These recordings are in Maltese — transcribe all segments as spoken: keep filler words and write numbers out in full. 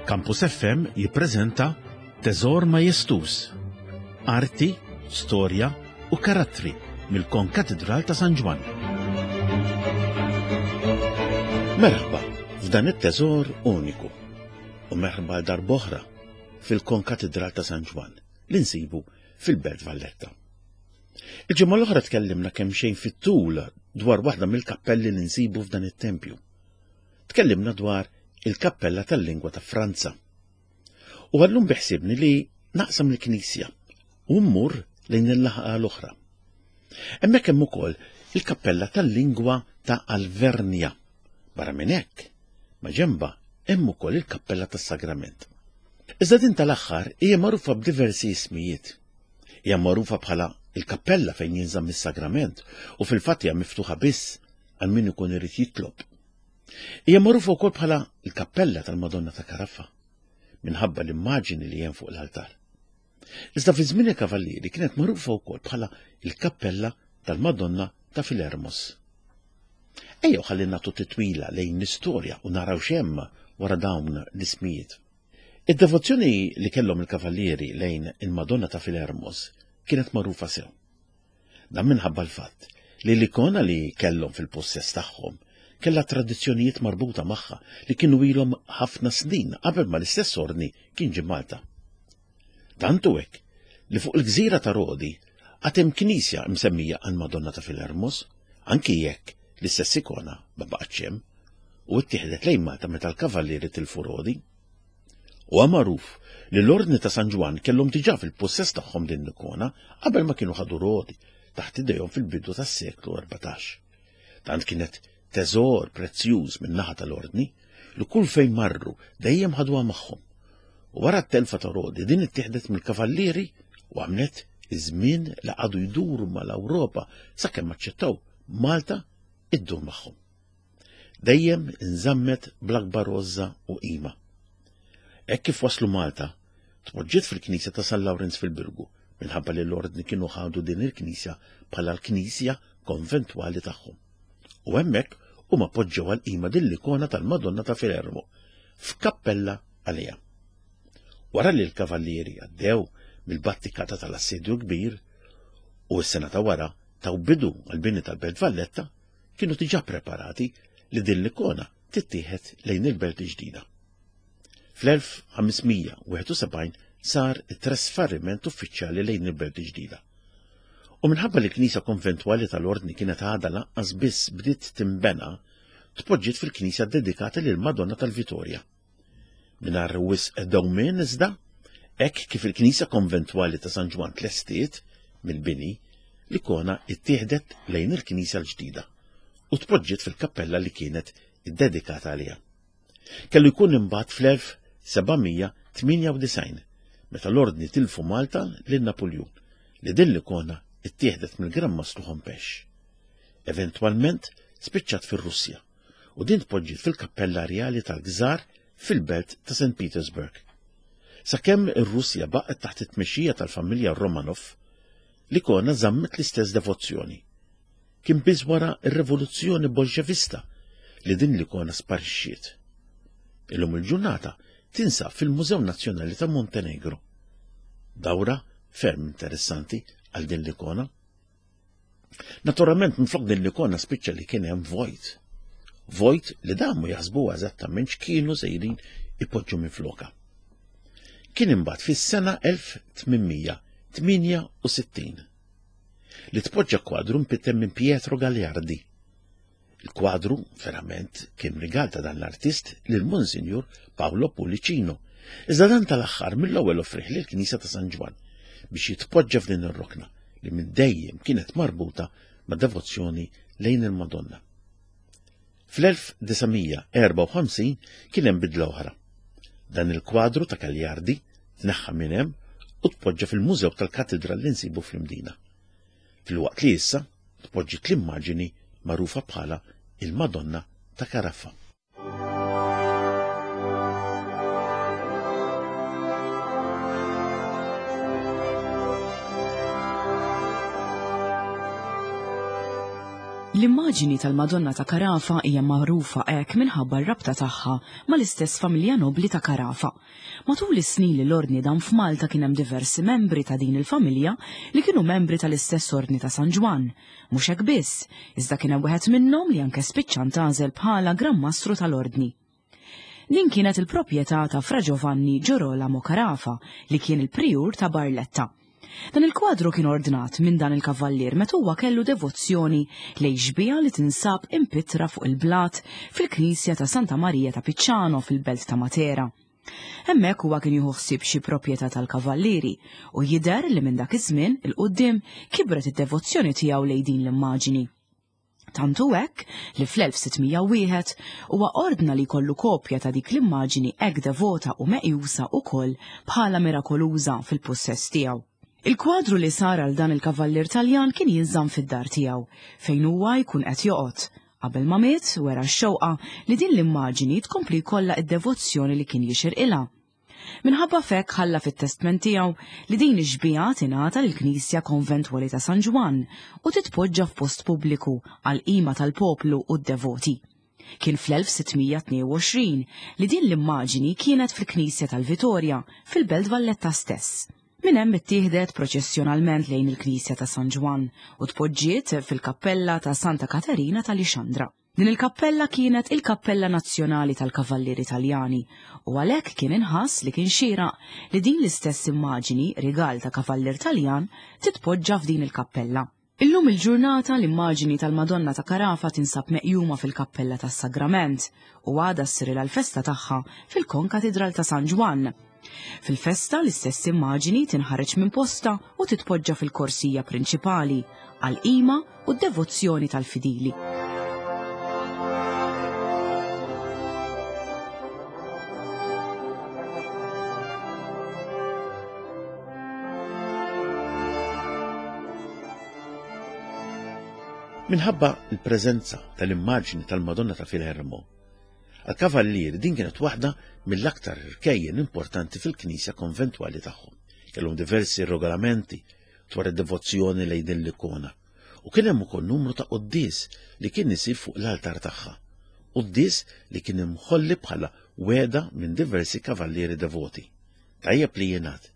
Campus F M jippreżenta Teżor Majestuż. Arti, storja u karattri mill-Konkatedral ta' San Ġwann. Merħba f'dan it-teżor uniku u merħba darb'oħra fil-Konkatedral ta' San Ġwann li nsibu fil-Belt Valletta. Il-ġimgħa l-oħra tkellimna kemm xejn fit-tul dwar waħda mill-kappelli li nsibu f'dan it-tempju. Tkellimna dwar il-kappella tal-lingwa ta' Franza. U għallum biħsibni li naqsam il-knisja u mmur lejn il-laħqa l-oħra. Hemmhekk hemm ukoll il-kappella tal-lingwa ta' Alvernja. Barra minn hekk, ma' ġemba hemm ukoll il-kappella tas-Sagrament. Iżda din tal-aħħar hija magħrufa b'diversi ismijiet. Hija magħrufa bħala il-kappella fejn jinżamm is-sagrament u fil-fatt hija miftuħa biss għal min ikun irid jitlob. Hija magħrufa wkoll bħala l-kappella tal-Madonna ta' Karaffa minħabba l-immaġini li hemm fuq l-altar. Iżda fi żmien il-Kavallieri kienet magħrufa wkoll bħala il-kappella tal-Madonna ta' Filermos. Ejjew ħalli nagħtu titwila lejn l-istorja u naraw x'hemm wara dawn l-ismijiet. Id-devozzjoni li kellhom il-Kavallieri lejn il-Madonna ta' Filermos kienet magħrufa sew. Dan minħabba l-fatt li l-ikona li kellhom fil-possess tagħhom kellha tradizzjonijiet marbuta magħha li kienu ilhom ħafna snin qabel ma l-istess ordni kien ġie Malta. Tantu hekk li fuq il-gżira ta' Rodi għad hemm knisja msemmija għal Madonna ta' Filermos, anki jekk l-istess ikona ma baqgħetx hemm u ttieħdet lejn Malta meta l-kavallieri tilfu Rodi. U magħruf li l-ordni ta' San Ġwann kellhom diġà fil-possess tagħhom din l-ikona qabel ma kienu ħadu Rodi taħt idejhom fil-bidu tas-seklu erbatax. Tant kienet teżor prezzjuż min-naħa tal-ordni li kull fejn marru dejjem ħaduha magħhom. U wara t-telfa ta' Rodi din ittieħdet mill-kavallieri u għamlet iż-żmien li qagħdu jduru mal-Ewropa sakemm aċċettaw Malta iddur magħhom. Dejjem inżammet bl-akbar għożża u qima. Hekk kif waslu Malta, tpoġġiet fil-knisja ta' San Lawrenz fil-Birgu minħabba li l-ordni kienu ħadu din il-knisja bħala l-knisja konventwali tagħhom. U hemmhekk huma poġġew għal-qima din l-ikona tal-Madonna ta' Filermo f'kappella għaliha. Wara li l-kavallieri għaddew mill-battikata tal-Assedju Kbir u s-sena ta' wara taw bidu għal-bini tal-Belt Valletta, kienu diġà preparati li din l-ikona tittieħed lejn il-Belt ġdida. Fl-elf ħames mija wieħed u sebgħin sar it-trasferiment uffiċjali lejn il-Belt ġdida. U minħabba li l-knisja konventwali tal-ordni kienet għadha lanqas biss bdiet timbena, tpoġġiet fil-knisja dedikata lil Madonna tal-Vitorja. Mingħajr wisq dewmien iżda, hekk kif il-knisja konventwali ta' San Ġwann tlestiet mill-bini, l-ikona ittieħdet lejn il-knisja l-ġdida u tpoġġiet fil-kappella li kienet iddedikata għaliha. Kellu jkun imbagħad fl-elf seba' mija tmienja u disgħin meta l-ordni tilfu Malta lil Napoljun li din l-ikona ittieħdet mill-Gran Mastru Hompesch. Eventwalment spiċċat fir-Russja u din tpoġġiet fil-Kappella Rjali tal-Gżar fil-belt ta' Saint Petersburg. Sakemm ir-Russja baqgħet taħt it-tmexxija tal-familja Romanov, l-ikona żammet l-istess devozzjoni. Kien biss wara r-rivoluzzjoni bolxevista li din l-ikona sparixxiet. Illum il-ġurnata tinsab fil-Mużew Nazzjonali ta' Montenegro. Dawra ferm interessanti għal din l-ikona. Naturalment minflok din l-ikona spiċċa li kien hemm vojt. Vojt li damu jaħsbu eżattament x'kienu sejrin ipoġġu minfloka. Kien imbagħad fis-sena elf tmien mija tmienja u sittin li tpoġġa kwadru mpitter minn Pietro Gagliardi. Il-kwadru verament kien rigal ta' dan l-artist lil Monsinjur Paolo Pullicino. Iżda dan tal-aħħar mill-ewwel offrih lill-Knisja ta' San Ġwann biex jitpoġġa f'din ir-rokna li minn dejjem kienet marbuta ma' devozzjoni lejn il-Madonna. Fl-elf disa' mija erba' u ħamsin kien hemm bidla oħra. Dan il-kwadru ta' Gagliardi tneħħa minn hemm u tpoġġa fil-Mużew tal-Katedral li nsibu fl-Imdina. Filwaqt li issa tpoġġiet l-immaġini magħrufa bħala il-Madonna ta' Caraffa. L-immaġini tal-Madonna ta' Carafa hija magħrufa hekk minħabba r-rabta tagħha mal-istess familja nobli ta' Carafa. Matul is-snin li l-ordni dan f'Malta kien hemm diversi membri ta' din il-familja li kienu membri tal-istess ordni ta' San Ġwann. Mhux hekk biss, iżda kien hemm wieħed minnhom li anke spiċċa ntgħażel bħala Gran Mastru tal-Ordni. Din kienet il-proprjetà ta' Fra Giovanni Girolamo Carafa li kien il-prijur ta' Barletta. Dan il-kwadru kien ordnat minn dan il-kavallier meta huwa kellu devozzjoni lejn xbieha li tinsab impittra fuq il-blat fil-knisja ta' Santa Maria ta' Picciano fil-belt ta' Matera. Hemmhekk huwa kien jieħu ħsieb xi proprjetà tal-kavallieri u jidher li minn dak iż-żmien 'il quddiem kibret id-devozzjoni tiegħu lejn din l-immaġini. Tant hu hekk li fl-elf sitt mija u wieħed huwa ordna li jkollu kopja ta' dik l-immaġini hekk devota u meqjusa wkoll bħala mirakoluża fil-pussess tiegħu. Il-kwadru li sar għal dan il-kavallier Taljan kien jinżamm fid-dar tiegħu fejn huwa jkun qed joqgħod. Qabel ma miet wera x-xewqa li din l-immaġini tkompli jkollha id-devozzjoni li kien jixirqilha. Minħabba f'hekk ħalla fit-testment tiegħu li din ix-xbieha tingħata lill-Knisja Konventwali ta' San Ġwann u titpoġġa f'post pubbliku għal qima tal-poplu u d-devoti. Kien fl-elf sitt mija tnejn u għoxrin li din l-immaġini kienet fil-Knisja tal-Vitorja fil-Belt Valletta stess. Minn hemm ittieħdet proċessjonalment lejn il-Knisja ta' San Ġwann u tpoġġiet fil-Kappella ta' Santa Katerina ta' Lixandra. Din il-kappella kienet il-Kappella Nazzjonali tal-Kavallieri Taljani u għalhekk kien inħass li kien xieraq li din l-istess immaġini, rigal ta' Kavallier Taljan, titpoġġa f'din il-kappella. Illum il-ġurnata l-immaġini tal-Madonna ta' Carafa tinsab meqjuma fil-Kappella tas-Sagrament u għada ssirilha l-festa tagħha fil-Konkatidral ta' San Ġwann. Fil-festa l-istess immaġini tinħareġ minn posta u titpoġġa fil-korsija prinċipali għal-qima u d-devozzjoni tal-fidili. Minħabba l-preżenza tal-immaġni tal-Madonna ta' Filermo, għal-kavallieri din kienet waħda mill-aktar rkejjen importanti fil-knisja konventwali tagħhom. Kellhom diversi regolamenti dwar id-devozzjoni lejn din l-ikona u kien hemm ukoll numru ta' quddies li kien isir fuq l-altar tagħha. Quddies li kien imħolli bħala wegħda minn diversi kavallieri devoti. Tajjeb li jingħad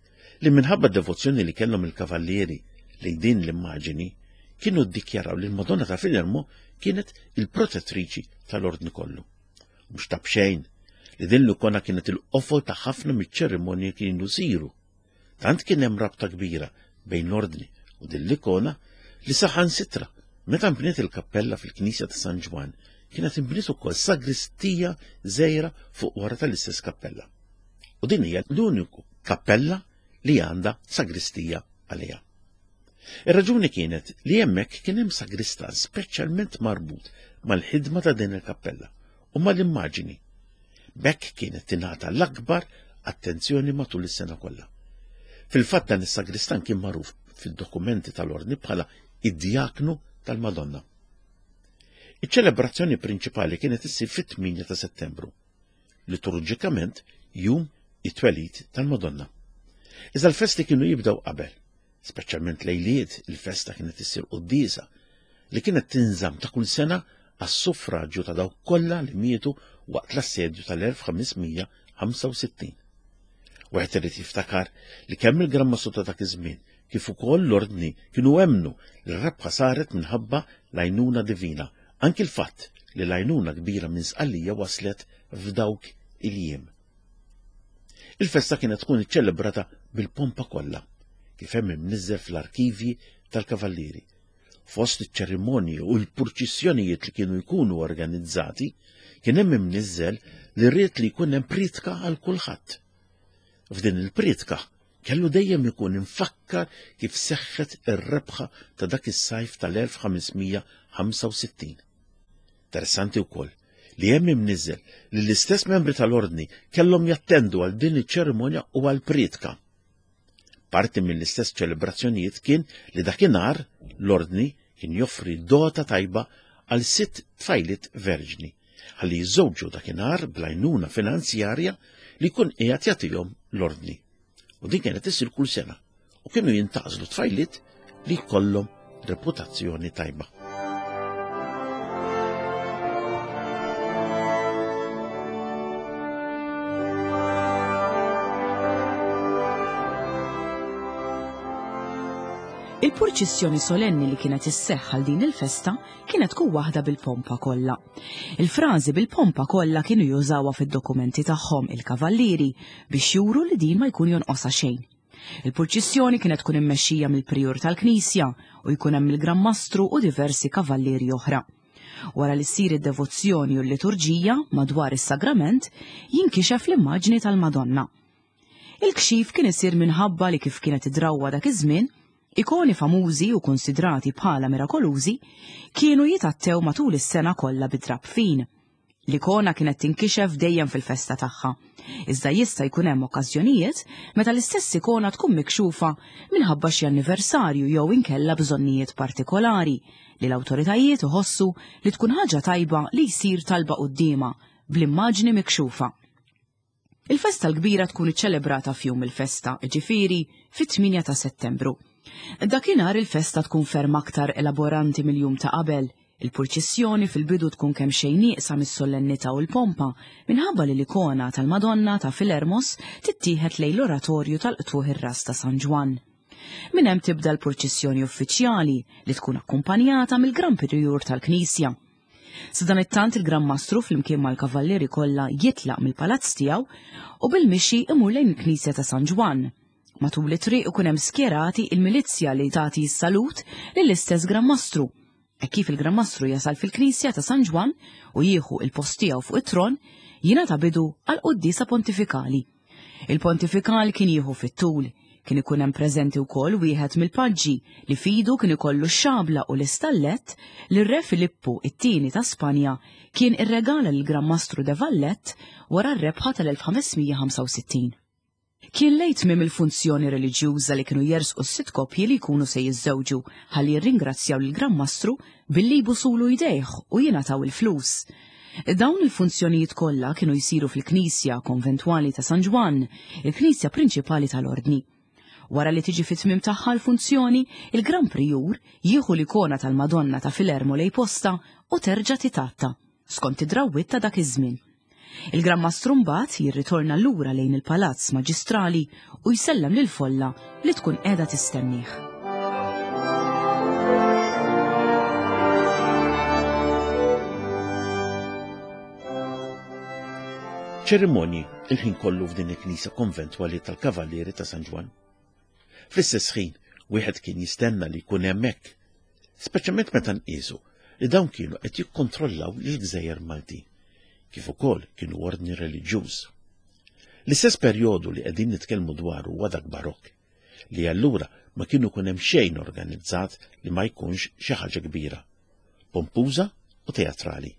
li minħabba d-devozzjoni li kellhom il-kavallieri lejn din l-immaġini kienu ddikjaraw li l-Madonna ta' Filermo kienet il-protettriċi tal-ordni kollu. Mhux ta' b'xejn li din l-ikona kienet il-qofol ta' ħafna miċ-ċerimonji kienu siru. Tant kien hemm rabta kbira bejn l-ordni u din l-ikona li saħansitra meta nbniet il-kappella fil-Knisja ta' San Ġwann kienet inbniet ukoll sagristija żgħira fuq wara tal-istess kappella. U din hija l-uniku kappella li għandha sagristija għaliha. Ir-raġuni kienet li hemmhekk kien hemm sagristan speċjalment marbut mal-ħidma ta' din il-kappella u mal-immaġini. B'hekk kienet tingħata l-akbar attenzjoni matul is-sena kollha. Fil-fatt dan is-sagristan kien magħruf fid-dokumenti tal-ordni bħala id-djaknu tal-Madonna. Iċ-ċelebrazzjoni prinċipali kienet issir fit-tmienja ta' Settembru, liturġikament jum it-twelid tal-Madonna. Iżda l-festi kienu jibdew qabel, speċjalment lejliet il-festa kienet issir quddiesa li kienet tinżamm ta' kull sena għas-suffraġġju ta' dawk kollha li mietu waqt l-assedju tal-elf ħames mija ħamsa u sittin. Wieħed irid jiftakar li kemm il-Gran Mastru ta' dak iż-żmien kif ukoll l-ordni kienu emmnu li r-rebħa saret minħabba l-għajnuna divina, anki l-fatt li l-għajnuna kbira minn Sqallija waslet f'dawk il-jiem. Il-festa kienet tkun iċċelebrata bil-pompa kollha, kif hemm imniżżel fl-arkivji tal-Kavallieri. Fost iċ-ċerimonji u l-purċissjonijiet li kienu jkunu organizzati, kien hemm imniżżel li rrid li jkun hemm pritka għal kulħadd. F'din il-pritka kellu dejjem ikun infakkar kif seħħet ir-rebħa ta' dak is-sajf tal-elf ħames mija ħamsa u sittin. Interessanti wkoll li hemm imniżżel li l-istess membri tal-ordni kellhom jattendu għal din iċ-ċerimonja u għal pritka. Parti mill-istess ċelebrazzjonijiet kien li dakinhar l-ordni kien joffri dota tajba għal sitt tfajliet verġni ħalli jiżżewġu dakinhar bl-għajnuna finanzjarja li jkun qiegħed jagħtihom l-ordni. U din kienet issir kull sena u kienu jintgħażlu tfajliet li jkollhom reputazzjoni tajba. Il-purċissjoni solenni li kienet isseħħ għal din il-festa kienet tkun waħda bil-pompa kollha. Il-frażi bil-pompa kollha kienu jużawha fid-dokumenti tagħhom il-kavallieri biex juru li din ma jkun jonqosha xejn. Il-purċissjoni kienet tkun immexxija mill-prijur tal-Knisja u jkun hemm il-Gran Mastru u diversi kavallieri oħra. Wara li ssir id-devozzjoni u l-liturġija madwar is-sagrament jinkixef l-immaġni tal-Madonna. Il-kxif kien isir minħabba li kif kienet id-drawwa dak iż-żmien, ikoni famużi u konsidrati bħala mirakolużi kienu jitattew matul is-sena kollha bid-drapp fin. L-ikona kienet tinkixef dejjem fil-festa tagħha. Iżda jista' jkun hemm okkażjonijiet meta l-istess ikona tkun mikxufa minħabba xi anniversarju jew inkella bżonnijiet partikolari li l-awtoritajiet iħossu li tkun ħaġa tajba li jsir talba quddiemha bl-immaġni mikxufa. Il-festa l-kbira tkun iċċelebrata f'jum il-festa, jiġifieri fit-tmienja ta' Settembru. Dakinhar il-festa tkun ferm aktar elaboranti mill-jum ta' qabel. Il-purċissjoni fil-bidu tkun kemm xejn nieqsa mis-solennità u l-pompa minħabba li l-ikona tal-Madonna ta' Filermos tittieħed lejn l-oratorju tal-qtuħ ir-ras ta' San Ġwann. Minn hemm tibda l-purċissjoni uffiċjali li tkun akkumpanjata mill-Gran Prijur tal-Knisja. Sadanittant il-Gran Mastru flimkien mal-kavallieri kollha jitlaq mill-palazz tiegħu u bil-mixi imur lejn il-Knisja ta' San Ġwann. Matul it-triq ikun hemm skjerati il-milizzja li tagħti s-salut lill-istess Gran Mastru. E kif il-Gran Mastru jasal fil-Knisja ta' San Ġwann u jieħu il-post tiegħu fuq it-tron, jingħata bidu għal quddiesa pontifikali. Il-pontifikal kien jieħu fit-tul, kien ikun hemm preżenti wkoll wieħed mill-paġġi li fidu kien ikollu x-xabla u l-istallett li r-Re Filippu it-tieni ta' Spanja kien irregala lill-Gran Mastru de Valette wara r-rebħa tal-elf ħames mija ħamsa u sittin. Kien lejn tmiem il-funzjoni reliġjuża li kienu jersqu s-sitt koppji li jkunu se jiżżewġu ħalli jirringrazzjaw lill-Gran Mastru billi jbusulu jdejh u jingħataw il-flus. Dawn il-funzjonijiet kollha kienu jsiru fil-Knisja Konventwali ta' San Ġwann, il-Knisja prinċipali tal-Ordni. Wara li tiġi fit-tmiem tagħha l-funzjoni, il-Gran Prijur jieħu l-ikona tal-Madonna ta' Filermo lejn posta u terġa' titatta, skont id-drawwiet ta' dak iż-żmien. Il-Gran Mastru mbagħad jirritorna lura lejn il-Palazz Maġistrali u jsellem lill-folla li tkun qiegħda tistennih. Ċerimonji il-ħin kollu f'din il-Knisja Konventwali tal-Kavallieri ta' San Ġwann. Fl-istess ħin, wieħed kien jistenna li jkun hemmhekk, speċjalment meta nqisu li dawn kienu qed jikkontrollaw lill-Gżejjer Maltin, kif ukoll kienu ordni reliġjuż. L-istess perjodu li qegħdin nitkellmu dwaru huwa dak barokk, li allura ma kienu jkun hemm xejn organizzat li ma jkunx xi ħaġa kbira, pompuża u teatrali.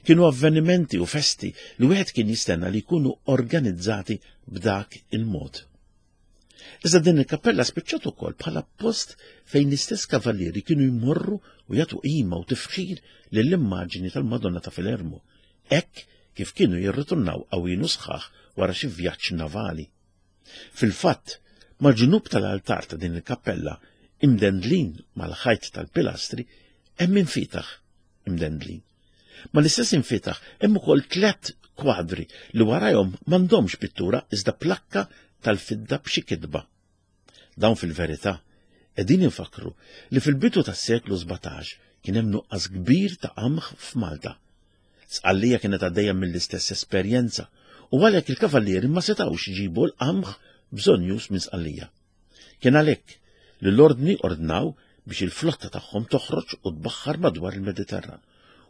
Kienu avvenimenti u festi li wieħed kien jistenna li jkunu organizzati b'dak il-mod. Iżda din il-kappella spiċċat ukoll bħala post fejn l-istess kavallieri kienu jmorru u jagħtu qima u tifħir lill-immaġini tal-Madonna ta' Filermo, hekk kif kienu jirritornaw qawwin u sħaħ wara xi vjaġġ navali. Fil-fatt, mal-ġnub tal-altar ta' din il-kappella, imdendlin mal-ħajt tal-pilastri, hemm infitaħ imdendlin. Ma l-istess infitaħ hemm ukoll tliet kwadri li warajhom m'għandhomx pittura iżda plakka tal-fidda b'xi kitba. Dawn fil-verità qegħdin infakru li fil-bidu tas-seklu sbatax kien hemm nuqqas kbir ta' qamħ f'Malta. Sqallija kienet għaddejja mill-istess esperjenza u għalhekk il-kavallieri ma setgħux iġibu l-qamħ bżonjus minn Sqallija. Kien għalhekk li l-ordni ordnaw biex il-flotta tagħhom toħroġ u tbaħħar madwar il-Mediterran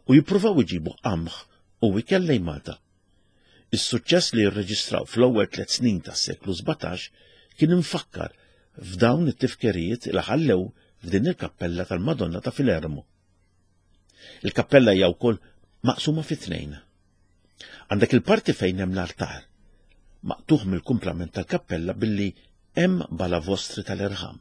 u jippruvaw iġibu qamħ u ikel lejn Malta. Is-suċċess li rreġistraw fl-ewwel tliet snin tas-seklu sbatax kien imfakkar f'dawn it-tifkerijiet li ħallew f'din il-kappella tal-Madonna ta' Filermo. Il-kappella hija wkoll maqsuma fi tnejn. Għandek il-parti fejn hemm l-altar, maqtuħ mill-kumplament tal-kappella billi hemm balavostri tal-irħam.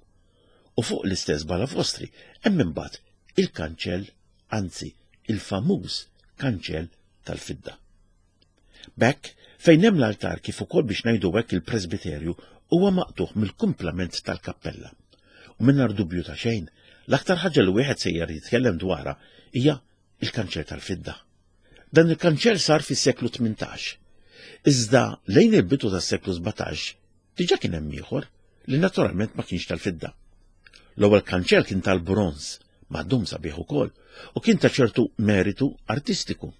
U fuq l-istess balavostri hemm imbagħad il-kanċell, anzi il-famuż kanċell tal-fidda. B'hekk, fejn hemm l-altar kif ukoll biex ngħidu hekk il-presbiterju huwa maqtuħ mill-kumplament tal-kappella. U mingħajr dubju ta' xejn, l-aktar ħaġa li wieħed sejjer jitkellem dwarha hija il-kanċell tal-fidda. Dan il-kanċell sar fis-seklu tmintax. Iżda lejn il-bidu tas-seklu sbatax diġà kien hemm ieħor li naturalment ma kienx tal-fidda. L-ewwel kanċell kien tal-bronż, maħdum sabiħ ukoll, u kien ta' ċertu meritu artistiku.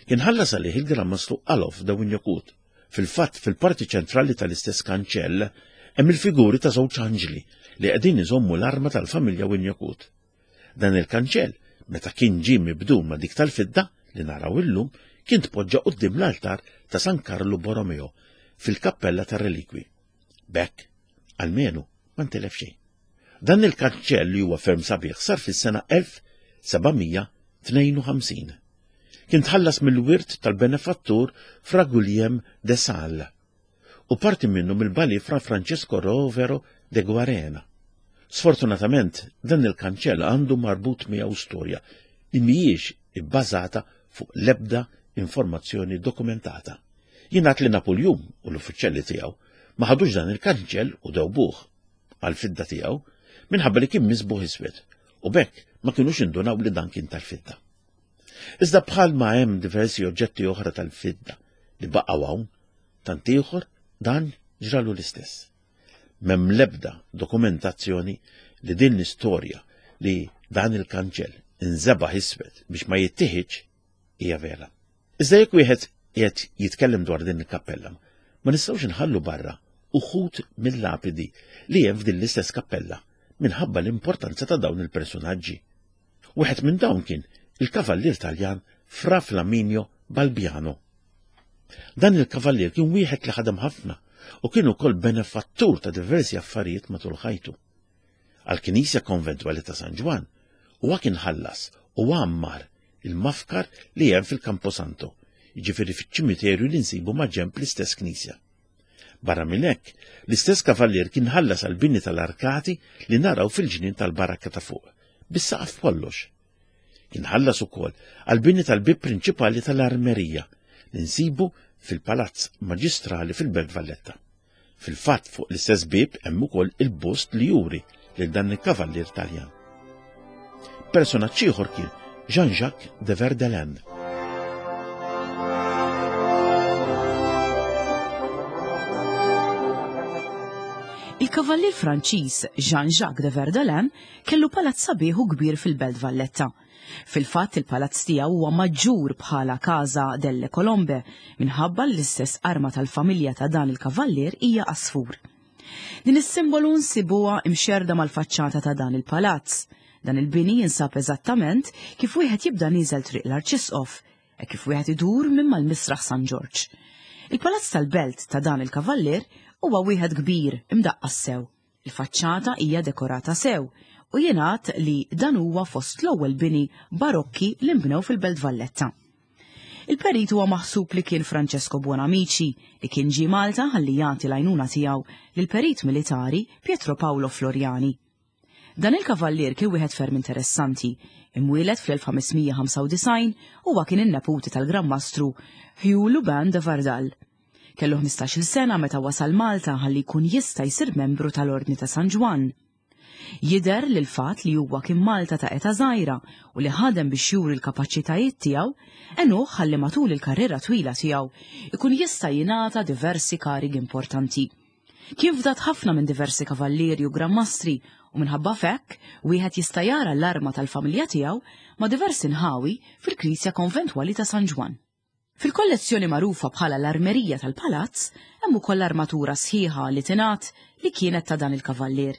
Kien ħallas għalih il-Gran Mastru Alof de Wignacourt. Fil-fatt, fil-parti ċentrali tal-istess kanċell hemm il-figuri ta' żewġ anġli li qegħdin iżommu l-arma tal-familja Wignacourt. Dan il-kanċell, meta kien ġie mibdul ma' dik tal-fidda li naraw illum, kien tpoġġa quddiem l-altar ta' San Karlu Borromeo fil-kappella tar-relikwi. B'hekk, almenu, ma ntilef xejn. Dan il-kanċell li huwa ferm sabiħ sar fis-sena elf seba' mija tnejn u ħamsin. Kien tħallas mill-wirt tal-benefattur Fra Guillem de Sal u parti minnu mill-bali Fra Francesco Rovero de Guarena. Sfortunatament, dan il-kanċell għandu marbut miegħu storja li mhijiex ibbażata fuq l-ebda informazzjoni dokumentata. Jingħad li Napoljun u l-uffiċjali tiegħu ma ħadux dan il-kanċell u dewbuh għal-fidda tiegħu minħabba li kien misbuħ iswed u b'hekk ma kinux indunaw li dan kien tal-fidda. Iżda bħal ma hemm diversi oġġetti oħra tal-fidda li baqgħu hawn, tant ieħor dan ġralu l-istess. M'hemm l-ebda dokumentazzjoni li din l-istorja li dan il-kanċell inżebaħ iswed biex ma jittieħidx hija vera. Iżda jekk wieħed qiegħed jitkellem dwar din il-kappella, ma nistgħux inħallu barra uħud mill-lapidi li hemm f'din l-istess kappella minħabba l-importanza ta' dawn il-personaġġi. Wieħed minn dawn kien il-kavallier Taljan Fra Flaminio Balbiano. Dan il-kavallier kien wieħed li ħadem ħafna u kien ukoll benefattur ta' diversi affarijiet matul ħajtu. Għall-Knisja Konventwali ta' San Ġwann huwa kien ħallas u għammar il-mafkar li hemm fil-Camposanto, jiġifieri fiċ-ċimiterju li nsibu ma' ġenb l-istess knisja. Barra minn hekk, l-istess kavallier kien ħallas għall-bini tal-arkati li naraw fil-ġnien tal-barakka ta' fuq, bis-saqaf kollox. Kien ħallas ukoll għall-bini tal-bib prinċipali tal-armerija li nsibu fil-Palazz Maġistrali fil-Belt Valletta. Fil-fatt fuq l-istess bib hemm ukoll il-bust li juri lil dan il-kavallier Taljan. Personaġġ ieħor kien Jean-Jacques de Verdelin. Il-kavallier Franċiż Jean-Jacques de Verdelin kellu palazz sabiħ u kbir fil-Belt Valletta. Fil-fatt il-palazz tiegħu huwa maġġur bħala Casa delle Colombe minħabba l-istess arma tal-familja ta' dan il-kavallier hija għasfur. Din is-simbolu nsibuha imxerda mal-faċċata ta' dan il-palazz. Dan il-bini jinsab eżattament kif wieħed jibda nieżel triq l-Arċisqof e kif wieħed idur minn mal-Misraħ San Ġorġ. Il-palazz tal-belt ta' dan il-kavallier huwa wieħed kbir imdaqqas sew. Il-faċċata hija dekorata sew u jingħad li dan huwa fost l-ewwel bini barokki li nbnew fil-Belt Valletta. Il-perit huwa maħsub li kien Francesco Buonamici li kien ġie Malta ħalli jagħti l-għajnuna tiegħu lill-perit militari Pietro Paolo Floriani. Dan il-kavallier kien wieħed ferm interessanti, imwieled fl-elf ħames mija ħamsa u disgħin huwa kien in-neputi tal-Gran Mastru Hugh Lubin de Vardal. Kellu ħmistax-il sena meta wasal Malta ħalli jkun jista' jsir membru tal-Ordni ta' San Ġwann. Jidher li l-fatt li huwa kien Malta ta' età żgħira u li ħadem biex juri l-kapaċitajiet tiegħu għenuh ħalli matul il-karriera twila tiegħu ikun jista' jingħata diversi karigi importanti. Kien fdat ħafna minn diversi kavallieri u Gran Mastri u minħabba fekk wieħed jista' jara l-arma tal-familja tiegħu ma' diversi nħawi fil-Knisja Konventwali ta' San Ġwann. Fil-kollezzjoni magħrufa bħala l-Armerija tal-Palazz hemm ukoll armatura sħiħa li tingħad li kienet ta' dan il-kavallier.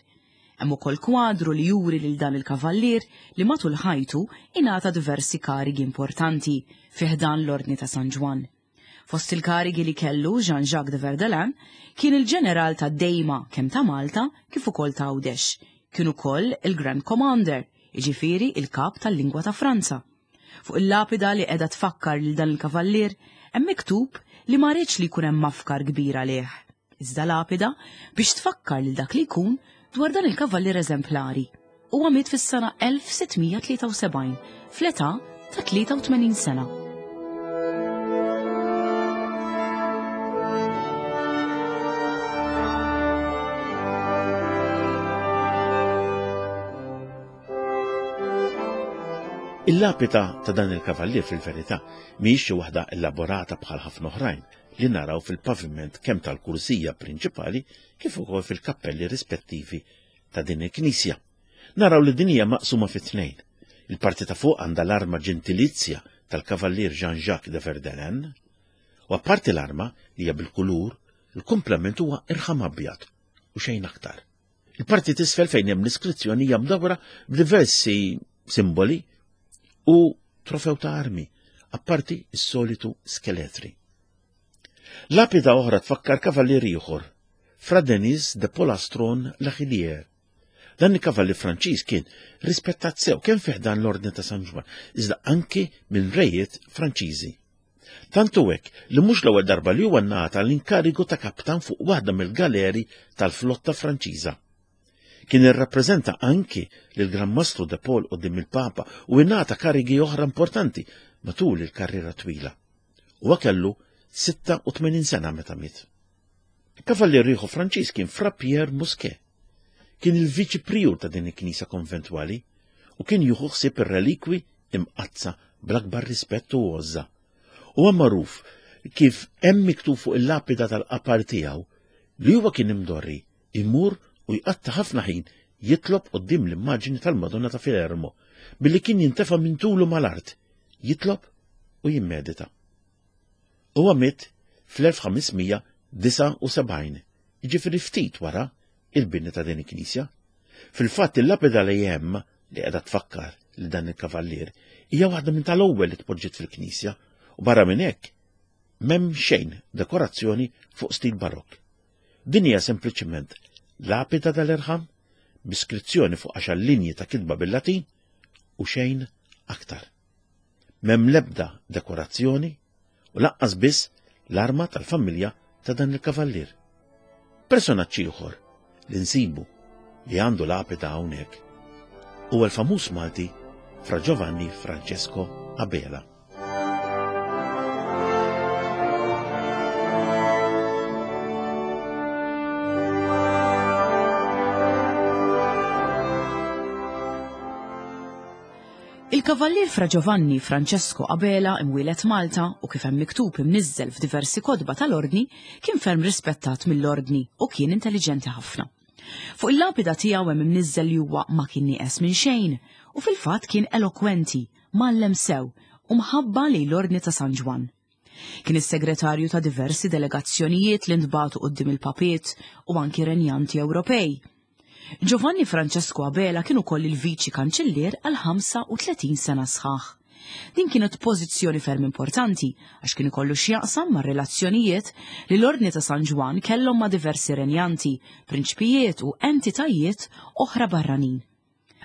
Hemm ukoll kwadru li juri lil dan il-kavallier li matul ħajtu ingħata diversi karigi importanti fi ħdan l-Ordni ta' San Ġwann. Fost il-karigi li kellu Jean-Jacques de Verdelin kien il-ġeneral ta' Dejma kemm ta' Malta kif ukoll ta' Għawdex. Kien ukoll il-Grand Commander, jiġifieri il-kap tal-lingwa ta' Franza. Fuq il-lapida li qiegħda tfakkar lil dan il-kavallier hemm miktub li ma rridx li jkun hemm mafkar kbir għalih. Iżda lapida biex tfakkar lil dak li jkun dwar dan il-kavallier eżemplari. Huwa miet fis-sena elf sitt mija tlieta u sebgħin fl-età ta' tlieta u tmenin sena. Il-lapida ta' dan il-kavallier fil-verità mhijiex xi waħda elaborata bħal ħafna oħrajn li naraw fil-paviment kemm tal-kursija prinċipali kif ukoll fil-kappelli rispettivi ta' din il-knisja. Naraw li din hija maqsuma fi tnejn. Il-parti ta' fuq għandha l-arma ġentilizja tal-kavallier Jean-Jacques de Verdenen, u apparti l-arma li hija bil-kulur, il-komplement huwa irħam abjad u xejn aktar. Il-parti t'isfel fejn hemm l-iskrizzjoni hija mdawra b'diversi simboli u trofew ta' armi, apparti s-solitu skeletri. Lapida oħra tfakkar kavallier ieħor, Fra Denis de Polastron Lachilier. Dan il-kavallier Franċiż kien rispettat sew kemm fih dan l-Ordni ta' San Ġwann, iżda anki minn rejiet Franċiżi. Tantu hekk li mhux l-ewwel darba li huwa ngħata l-inkarigu ta' kaptan fuq waħda mill-galeri tal-flotta Franċiża. Kien irrappreżenta anki lil Gran Mastru de Paul quddiem il-Papa u ingħata karigi oħra importanti matul il-karriera twila. Huwa kellu sitta u tmenin sena meta miet. Kavallier ieħor Franċiż kien Fra Pierre Musquet. Kien il-viċi prijur ta' din il-knisja konventwali u kien jieħu ħsieb ir-relikwi imqazza bl-akbar rispett u għożża. Huwa magħruf kif hemm miktub fuq il-lapida tal-qapar tiegħu li huwa kien imdorri imur u jqatta' ħafna ħin jitlob quddiem l-immaġni tal-Madonna ta' Filermo billi kien jintefa' minn tulu mal-art, jitlob u jimmedita. Huwa miet fl-elf ħames mija disgħa u sebgħin, jiġifieri ftit wara il-bini ta' din il-knisja. Fil-fatt il-lapida li hemm li qiegħda tfakkar li dan il-kavallier hija waħda minn tal-ewwel li tpoġġiet fil-knisja u barra minn hekk m'hemm xejn dekorazzjoni fuq stil barokk. Din hija sempliċement lapida tal-irħam b'iskrizzjoni fuq għaxar linji ta' kitba bil-Latin u xejn aktar. M'hemm l-ebda dekorazzjoni u lanqas biss l-arma tal-familja ta' dan il-kavallier. Personaġġ ieħor li nsibu li għandu lapida hawnhekk huwa l-famuż Malti Fra Giovanni Francesco Abela. Il-Kavallier Fra Giovanni Francesco Abela imwieled Malta u kif hemm miktub imniżżel f'diversi kotba tal-ordni kien ferm rispettat mill-ordni u kien intelligenti ħafna. Fuq il-lapida tiegħu hemm imniżżel li huwa ma kien nieqes minn xejn u fil-fatt kien elokwenti, mgħallem sew u mħabba lejn l-Ordni ta' San Ġwann. Kien is-segretarju ta' diversi delegazzjonijiet li ntbagħtu quddiem il-papiet u anki renjanti Ewropej. Giovanni Francesco Abela kien ukoll il-viċi kanċellier għal ħamsa u tletin sena sħaħ. Din kienet pożizzjoni ferm importanti għax kien ikollu x'jaqsam mar-relazzjonijiet li l-Ordni ta' San Ġwann kellhom ma' diversi renjanti, prinċpijiet u entitajiet oħra barranin.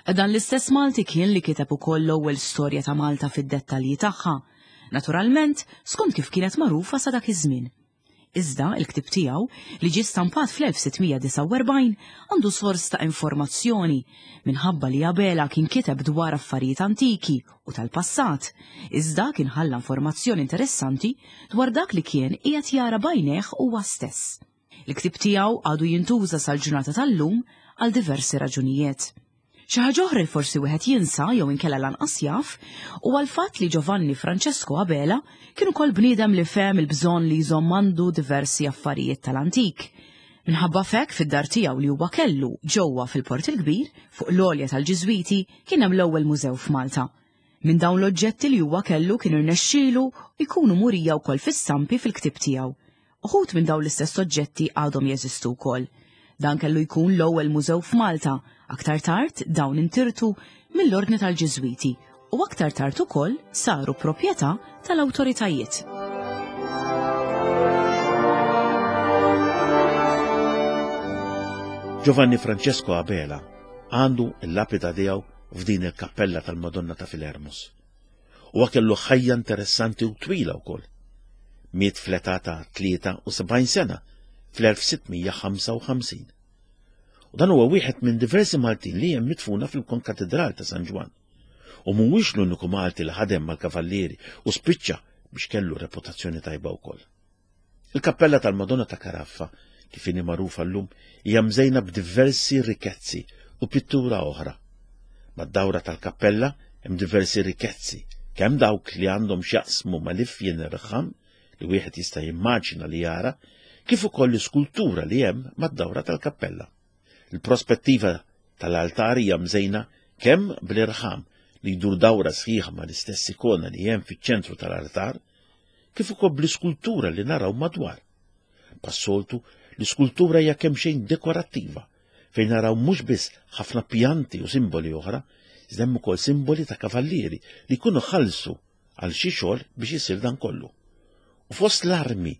Dan l-istess Malti kien li kiteb ukoll l-ewwel storja ta' Malta fid-dettalji tagħha, naturalment skont kif kienet magħrufa sa dak iż-żmien. Iżda il-ktib tiegħu li ġie stampat fl-elf sitt mija disgħa u erbgħin għandu sors ta' informazzjoni minħabba li Abela kien kiteb dwar affarijiet antiki u tal-passat, iżda kien ħalla informazzjoni interessanti dwar dak li kien qiegħed jara b'għajnejh huwa stess. Il-ktib tiegħu għadu jintuża sal-ġurnata tal-lum għal diversi raġunijiet. Xi ħaġa oħra li forsi wieħed jinsa jew inkella lanqas jaf huwa l-fatt li Giovanni Francesco Abela kien ukoll bniedem li fehem il-bżonn li jżomm għandu diversi affarijiet tal-antik. Minħabba f'hekk fid-dar tiegħu li huwa kellu ġewwa fil-Port il-Kbir fuq l-għolja tal-Ġiżwiti kien hemm l-ewwel mużew f'Malta. Minn dawn l-oġġetti li huwa kellu kien irnexxielu jkunu murija wkoll fis-stampi fil-ktieb tiegħu. Uħud minn dawn l-istess oġġetti għadhom jeżistu wkoll. Dan kellu jkun l-ewwel mużew f'Malta, aktar tard dawn intirtu mill-Ordni tal-Ġiżwiti u aktar tard ukoll saru proprjetà tal-awtoritajiet. Giovanni Francesco Abela għandu l-lapida tiegħu f'din il-kappella tal-Madonna ta' Filermos. Huwa kellu ħajja interessanti u twila wkoll. Miet fl-età ta' tlieta u sebgħin sena fl-elf sitt mija ħamsa u ħamsin. U dan huwa wieħed minn diversi Maltin li hemm midfuna fil-Konkatedral ta' San Ġwann. U mhuwiex l-uniku Malti li ħadem mal-Kavallieri u spiċċa biex kellu reputazzjoni tajba wkoll. Il-kappella tal-Madonna ta' Caraffa, kif inhi magħrufa llum, hija mżejna b'diversi rikkezzi u pittura oħra. Mad-dawra tal-kappella hemm diversi rikkezzi, kemm dawk li għandhom x'jaqsmu mal-ifjen irħam li wieħed jista' jimmaġina li jara, kif ukoll l-iskultura li hemm mad-dawra tal-kappella. Il-prospettiva tal-altar hija mżejna kemm bl-irħam li jdur dawra sħiħa mal-istess ikona li hemm fiċ-ċentru tal-altar, kif ukoll bl-iskultura li naraw madwar. Bħas-soltu, l-iskultura hija kemxejn dekorattiva, fejn naraw mhux biss ħafna pjanti u simboli oħra, iżda hemm ukoll simboli ta' kavallieri li jkunu ħallsu għal xi xogħol biex isir dan kollu. U fost l-armi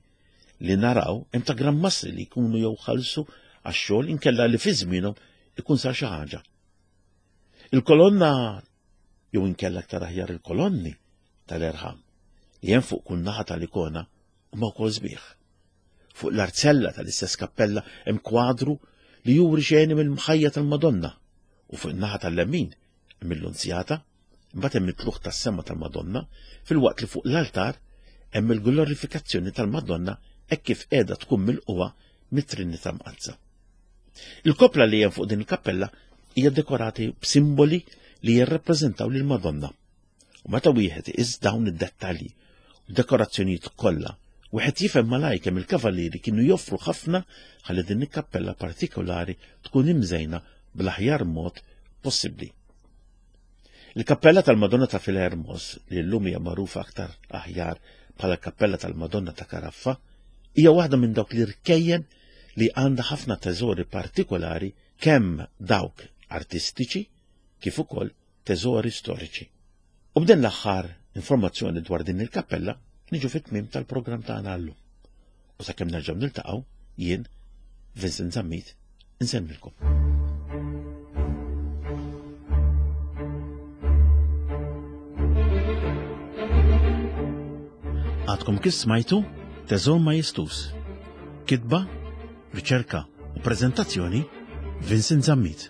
li naraw hemm ta' Gran Mastri li jkunu jew ħallsu għax-xogħol inkella li fi żmienhom ikun sar xi ħaġa. Il-kolonna jew inkella aktar aħjar il-kolonni tal-erħam li hemm fuq kull naħa tal-ikona huma wkoll sbieħ. Fuq l-arzella tal-istess kappella hemm kwadru li juri xeni mill-mħajja tal-Madonna u fuq in-naħa tal-lemin hemm il-Lunzjata, imbagħad hemm it-tlugħ tas-sema tal-Madonna, filwaqt li fuq l-altar hemm il-glorifikazzjoni tal-Madonna hekk kif qiegħda tkun milquha mit-Trinità Mqaddsa. Il-koppla li hemm fuq din il-kappella hija dekorati b'simboli li jirrappreżentaw lil Madonna. U meta wieħed iqis dawn id-dettalji u dekorazzjonijiet kollha, wieħed jifhem malajr kemm il-kavallieri kienu joffru ħafna ħalli din il-kappella partikolari tkun imżejna bl-aħjar mod possibbli. Il-kappella tal-Madonna ta' Filermos, li llum hija magħrufa aktar aħjar bħala kappella tal-Madonna ta' Karaffa, hija waħda minn dawk l-irkejjen li għandha ħafna teżori partikolari kemm dawk artistiċi kif ukoll teżori storiċi. U b'din l-aħħar informazzjoni dwar din il-kappella niġu fit-tmiem tal-programm tagħna llum. U sakemm nerġgħu niltaqgħu jien Vincent Zammit insellmilkom. Għadkom kif smajtu Teżor Majestus. Kitba, riċerka u preżentazzjoni Vincent Zammit.